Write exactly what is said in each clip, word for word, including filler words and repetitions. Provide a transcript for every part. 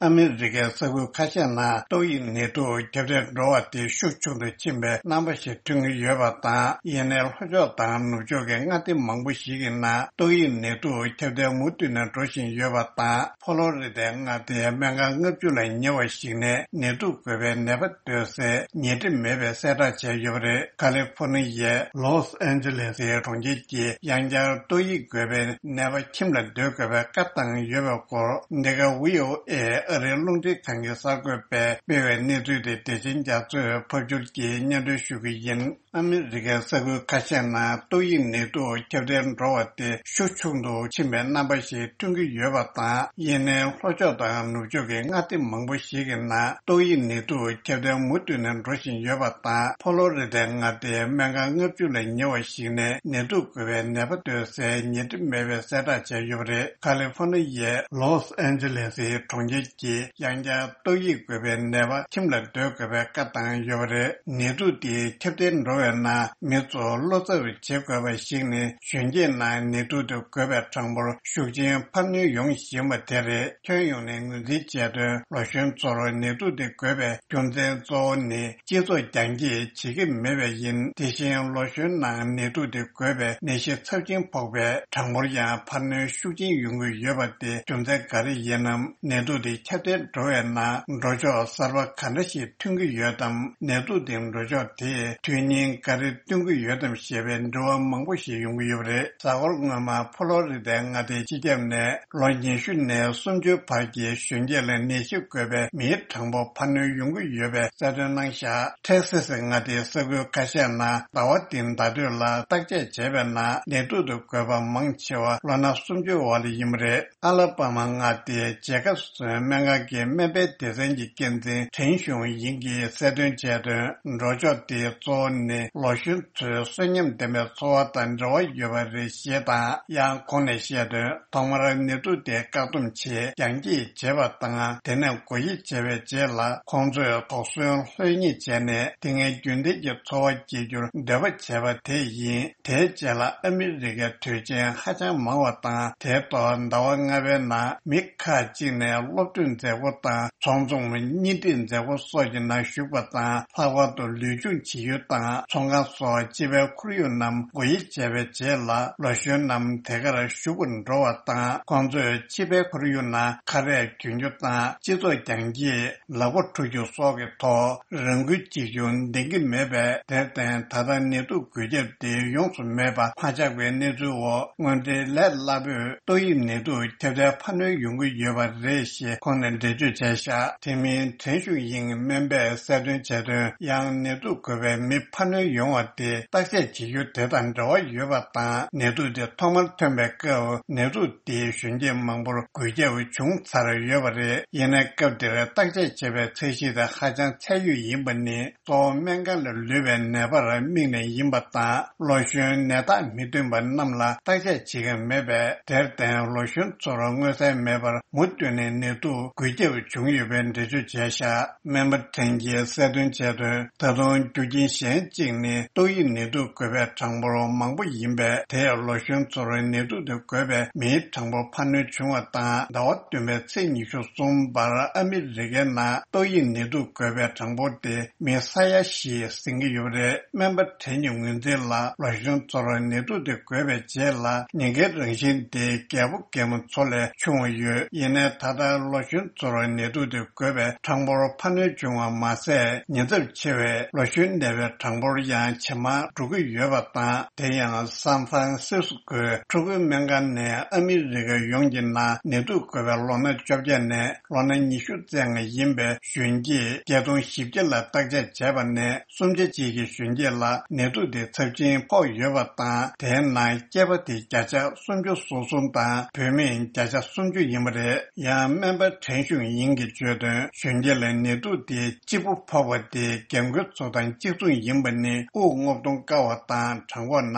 ཨ་མི་རི་ཀའི་ས་ཁུལ་ཁ་ཤས་ནང་ཏོག་དབྱིབས་ནད་དུག་ཁྱབ་གདལ་འགྲོ་བ་དེ་ཤུགས་ཆུང་དུ་ཕྱིན་པའི་རྣམ་པ་ཞིག་ཐོན་གྱི་ཡོད་པ་དང་། ཡིན་ནའི་ལྷོ་ཕྱོགས་དང་ནུབ་ཕྱོགས་ཀྱི་མངའ་སྡེ་མང་པོ་ཞིག་གི་ནང་ཏོག་དབྱིབས་ནད་དུག་ཁྱབ་གདལ་མུ་མཐུད་ནས་འགྲོ་བཞིན་ཡོད་པ་དང་། ཕོ་ལོ་རི་དའི་མངའ་སྡེའི་སྨན་ཁང་ལྔ་བཅུ་ལས་ཉེ་བ་ཞིག་ནས་ནད་དུག་འགོས་པའི་ནད་པ་སྡོད་སའི་ཉལ་ཁྲི་མེད་པའི་གསལ་བསྒྲགས་བྱས་ཡོད་པ་རེད། ཁ་ལི་ཧྥོ་ནི་ཡའི་ལོས་ཨན་ཇི་ལེ་སི་གྲོང་ཁྱེར་གྱིས་ཡང་བསྐྱར་ཏོག་དབྱིབས་འགོས་པའི་ནད་པ་ཁྱིམ་ལ་སྡོད་དགོས་པའི་བཀའ་བཏང་ཡོད་པའི་སྐོར། འདི་ག་ཝི་ཨོ་ཨེ་ཨ་རིའི་རླུང་འཕྲིན་ཁང་གི་གསར་འགོད་པས་སྤེལ་བའི་གནས་ཚུལ་དེ་བདེ་ཆེན་རྒྱ་མཚོས་ཕབ་སྒྱུར་གྱིས་སྙན་སྒྲོན་ཞུ་གི་ཡིན། ཨ་མི་རི་ཀའི་ས་ཁུལ་ཁ་ཤས་ནང་ཏོག་དབྱིབས་ནད་དུག་ཁྱབ་གདལ་འགྲོ་བ་དེ་ཤུགས་ཆུང་དུ་ཕྱིན་པའི་རྣམ་པ་ཞིག་ཐོན་གྱི་ཡོད་པ་དང་། ཡིན་ནའི་ལྷོ་ཕྱོགས་དང་ནུབ་ཕྱོགས་ཀྱི་མངའ་སྡེ་མང་པོ་ཞིག་གི་ནང་ཏོག་དབྱིབས་ནད་དུག་ཁྱབ་གདལ་མུ་མཐུད་ནས་འགྲོ་བཞིན་ཡོད་པ་དང་། ཕོ་ལོ་རི་དའི་མངའ་སྡེའི་སྨན་ཁང་ལྔ་བཅུ་ལས་ཉེ་བ་ཞིག་ནས་ནད་དུག་འགོས་པའི་ནད་པ་སྡོད་སའི་ཉལ་ཁྲི་མེད་པའི་གསལ་བསྒྲགས་བྱས་ཡོད་པ་རེད། ཁ་ལི་ཧྥོ་ནི་ཡའི་ལོས་ཨན་ཇི་ལེ་སི་གྲོང་ཁྱེར་གྱིས་ཡང་བསྐྱར་ཏོག་དབྱིབས་འགོས་པའི་ནད་པ་ཁྱིམ་ལ་སྡོད་དགོས་པའི་བཀའ་བཏང་ཡོད་པ་རེད། ནད་དུག་དེ་ཁྱབ་གདལ་འགྲོ་བའི་ནང་མི་ཚོ་བློ་འཚབ་བྱེད་དགོས་པ་ཞིག་ནི། གཞོན་སྐྱེས་ནང་ནད་དུག་དེ་འགོས་པའི་གྲངས་འབོར་ཤུགས་ཆེན་འཕར་སྣོན་ཡོང་བཞིན་པ་དེ་རེད། ཁྱོན་ཡོངས་ནས་ངོས་འཛིན་བྱས་དོན། ལོ་གཞོན་ཚོར་ནད་དུག་དེ་འགོས་པའི་རྒྱུ་མཚན་གཙོ་བོ་ནི། སྤྱི་ཚོགས་རྒྱང་བཀྱེད་བྱེད་ཀྱི་མེད་པས་ཡིན། དེ་བཞིན་ལོ་གཞོན་ནང་ནད་དུག་དེ་འགོས་པའི་ནད་གཞི་ཚབས་ཆེན་ཕོག་པའི་གྲངས་འབོར་ཡང་འཕར་སྣོན་ཤུགས་ཆེན་ཡོང་གི་ཡོད་པ་དེ་རྒྱུ་མཚན་ག་རེ་ཡིན་ནམ། ནད་དུག་དེ་ཁྱབ་གདལ་འགྲོ་བའི་ནང་འགྲོ་ཕྱོགས་གསར་པ་ག་འདྲ་ཞིག་ཐོན་གྱི་ཡོད་དམ། ནད་དུག་དེ་འགྲོ་ཕྱོགས་དེས་དོན་སྙིང་ག་རེ་སྟོན་གྱི་ཡོད་དམ་ཞེས་པའི་འདྲི་བ་མང་པོ་ཞིག་ཡོང་གི་ཡོད་པ་རེད། གཟའ་འཁོར་སྔོན་མ་ཕོ་ལོ་རི་དའི་མངའ་སྡེའི་སྤྱི་ཁྱབ་ནས་ལོ་ཉི་ཤུ་ནས་སུམ་ཅུ་བར་གྱི་གཞོན་སྐྱེས་ལ་ནད་གཞི་འགོས་པའི་མིའི་གྲངས་འབོར་འཕར་སྣོན་ཡོང་གི་ཡོད་པའི་གསལ་སྟོན་གནང་བཞག་ཐེག་སེ་སི་མངའ་སྡེའི་ས་ཁུལ་ཁ་ཤས་ནང་ཟླ་བ་འདིའི་ཟླ་སྟོད་ལ་བརྟག་དཔྱད་བྱས་པའི་ནང་ནད་དུག་དེ་འགོས་པ་མང་ཆེ་བ་ལོ་ན་སུམ་ཅུ་བར་ལ་ཡིན་པ་རེད། ཨ་ལ་པ་མ་མངའ་སྡེའི་ཇེ་ཁབ་སོན་སྨན་ཁང་གི་སྨན་པའི་སྡེ་ཚན་གྱི་འགན་འཛིན་ཁྲེན་ཞུང་ཡིང་གིས་གསལ་སྟོན་བྱས་དོན། འགྲོ་ཕྱོགས་དེ་གཙོ་བོ་ནི་ལོ་གཞོན་ཚོའི་གསོན་ཉམས་ལྡན་པའི་འཚོ་བ་དང་འབྲེལ་བ་ཡོད་པ་རེད་ཞེས་དང་། ཡང་ཁོང་ནས་བཤད་དོན། ཐོག་མར་ནད་དུག་དེ་བཀག་སྡོམ་ཆེད་རྒྱང་བཀྱེད་བྱས་པ་དང་། དེ་ནས་འགོག་དབྱེ་བྱས་པའི་རྗེས་ལ་ཁོང་ཚོས་དོགས་ཟོན་ལྷོད་ཉེས་བྱས་ནས། དེ་སྔའི་རྒྱུན་ལྡན་གྱི་འཚོ་བ་སྐྱེལ་རྒྱུར་འདོད་པ་བྱས་པ་དེ་ཡིན། དེའི་རྗེས་ལ་ཨ་མི་རི་ཀའི་དུས་ཆེན་ཧ་ཅང་མང་བ་དང་། དེའི་ཐོག་ཟླ་བ་ལྔ་པའི་ནང་མི་ཁག་ཅིག་ནས་སློབ་གྲྭའི་མཛད་སྒོ་དང་། ཚོགས་འཛོམས་གཉིས་སྒྲིག་མཛད་སྒོ་སོགས་ཀྱི་ནང་ཞུགས་པ་དང་། ལྷག་པར་དུ་ལུས་སྦྱོང་བྱེད་ཡུལ་དང་ཚོང་ཁང་སོགས་སྤྱི་པའི་ཁོར་ཡུག་རྣམས་སྒོ་དབྱེ་བྱས་པའི་རྗེས་ལ། ལོ་གཞོན་རྣམས་དེ་གར་ཞུགས་པར་འགྲོ་བ་དང་། ཁོང་ཚོས་སྤྱི་པའི་ཁོར་ཡུག་ནང་ཁ་རས་གྱོན་རྒྱུ་དང་། སྤྱི་ཚོགས་རྒྱང་བཀྱེད། ལག་པ་འཁྲུ་རྒྱུ་སོགས་ཀྱི་ཐོག་རང་འགུལ་གཅིག་ཀྱང་ལྡན་གྱི་མེད་པས། དེར་བརྟེན། ད་ལྟ་ནད་དུག་འགོས་ཁྱབ་དེ་ཡོངས་སུ་མེད་པ་མ་ཆགས་པའི་གནས་ཚུལ་འོག་དངོས་འབྲེལ་ལས་སླ་པོས་ཏོག་དབྱིབས་ནད་དུག་ཁྱབ་གདལ་འཕར་སྣོན་ཡོང་གི་ཡོད་པ་རེད་ཞེས་ཁོང་ནས་འགྲེལ་བརྗོད་བྱས་བཞག་དེ་མིན། ཁྲེན་ཞུ་ཡིང་སྨན་པས་གསལ་སྟོན་བྱས་དོན། ཡང་ནད་དུག་འགོས་པའི་མི་འཕར་སྣོན་ཡོང་བ་དེ་བརྟག་དཔྱད་བྱེད་རྒྱུ་དེ་དང་འབྲེལ་བ་ཡོད་པ་དང་། ནད་དུག་དེ་ཐོག་མར་ཐོན་པའི་སྐབས་ནད་དུག་དེས་གཞོན་སྐྱེས་མང་པོར་འགོས་ཁྱབ་བྱུང་ཚར་ཡོད་པ་རེད། ཡིན་ནའི་སྐབས་དེར་བརྟག་དཔྱད་བྱེད་པའི་ཚད་གཞི་དེ་ཧ་ཅང་ཚད་ཡོད་ཡིན་པ་ནི། གཙོ་བོ་སྨན་ཁང་ལ་ལུས་པའི་ནད་པར་དམིགས་ནས་ཡིན་པ་དང་། ལོ་གཞོན་ནད་རྟགས་མི་སྟོན་པ་རྣམས་ལ་བརྟག་དཔྱད་བྱེད་མཁན་མེད་པས། དེར་བརྟེན། ལོ་གཞོན་ཚོར་མངོན་གསལ་མེད་པར་མུ་མཐུད་ནས་ནད་དུག་འགོས་ཁྱབ་བྱུང་ཡོད་པའི་འགྲེལ་བརྗོད་བྱས་བཞག་སྨན་པ་ཁྲེན་གྱིས་གསལ་སྟོན་བྱས་དོན། ད་དུང་རྒྱུ་རྐྱེན་གཞན་གཅིག་ནི། ཏོག་དབྱིབས་ནད་དུག་འགོས་པའི་གྲངས་འབོར་མང་པོ་ཡིན་པས། དེས་ལོ་གཞོན་ཚོར་ནད་དུག་དེ་འགོས་པའི་མིའི་གྲངས་འབོར་འཕར་སྣོན་བྱུང་བ་དང་། ཟླ་བ་བདུན་པའི་ཚེས་ཉི་ཤུ་གསུམ་བར་ཨ་མི་རི་ཀའི་ནང་ཏོག་དབྱིབས་ནད་དུག་འགོས་པའི་གྲངས་འབོར་དེ་མི་ས་ཡ་བཞི་ཟིན་གྱི་ཡོད་པ་རེད། སྨན་པ་ཁྲེན་གྱི་ངོས་འཛིན་ལ། ལོ་གཞོན་ཚོར་ནད་དུག་དེ་འགོས་པའི་རྗེས་ལ་ནད་འགོག་རང་བཞིན་དེ་རྒད་པོ་རྒད་མོ་ཚོ་ལས་ཆུང་བ་ཡོད། ཡིན་ནའི་ད་ལྟ་ལོ་གཞོན་ཚོར་ནད་དུག་དེ་འགོས་པའི་གྲངས་འབོར་འཕར་སྣོན་བྱུང་བ་མ་ཟད། ཉེན་ཚབས་ཆེ་བའི་ལོ་གཞོན་ནད་པའི་གྲངས་འབོར་ཡང་ཇེ་མང་འགྲོ་གི་ཡོད་པ་དང་། དེ་ཡང་སན་ཧྥ་རན་སིས་ཀོའི་ཕྲུ་གུའི་སྨན་ཁང་ནས་ཨ་མི་རི་ཀ་ཡོངས་ཀྱི་ནང་ནད་དུག་འགོས་པའི་ལོ་ན་བཅོ་བརྒྱད་ནས་ལོ་ན་ཉི་ཤུ་རྩ་ལྔ་ཡིན་པའི་གཞོན་སྐྱེས་བརྒྱད་སྟོང་བཞི་བརྒྱ་ལ་བརྟག་དཔྱད་བྱས་པ་ནས། སུམ་ཆ་གཅིག་གི་གཞོན་སྐྱེས་ལ་ནད་དུག་དེ་ཚབས་ཆེན་ཕོག་ཡོད་པ་དང་། དེའི་ནང་སྐྱེས་པ་དེ་བརྒྱ་ཆ་སུམ་ཅུ་སོ་གསུམ་དང་བུད་མེད་བརྒྱ་ཆ་སུམ་ཅུ་ཡིན་པ་རེད། ཡང་སྨན་པ་ཁྲེན་ཞུང་ཡིང་གིས་བརྗོད་དོན། གཞོན་སྐྱེས་ལ་ནད་དུག་དེ་གཅིག་པུ་ཕོག་པ་དེ་རྒན་རྒོན་ཚོ་དང་གཅིག་མཚུངས་ཡིན་པ་ནི། དབུགས་རྔུབ་གཏོང་དཀའ་བ་དང་། བྲང་ཁོག་ན་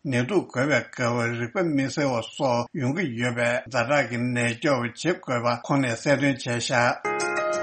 བ། ནད་དུག་འགོས་པའི་སྐབས་རེག་པ་མི་སེལ་བ་སོགས་ཡོང་གི་ཡོད་པས། ཛ་དྲག་གི་ནད་སྐྱོབ་བྱེད་དགོས་པ་ཁོང་ནས་གསལ་སྟོན་བྱས་བཞག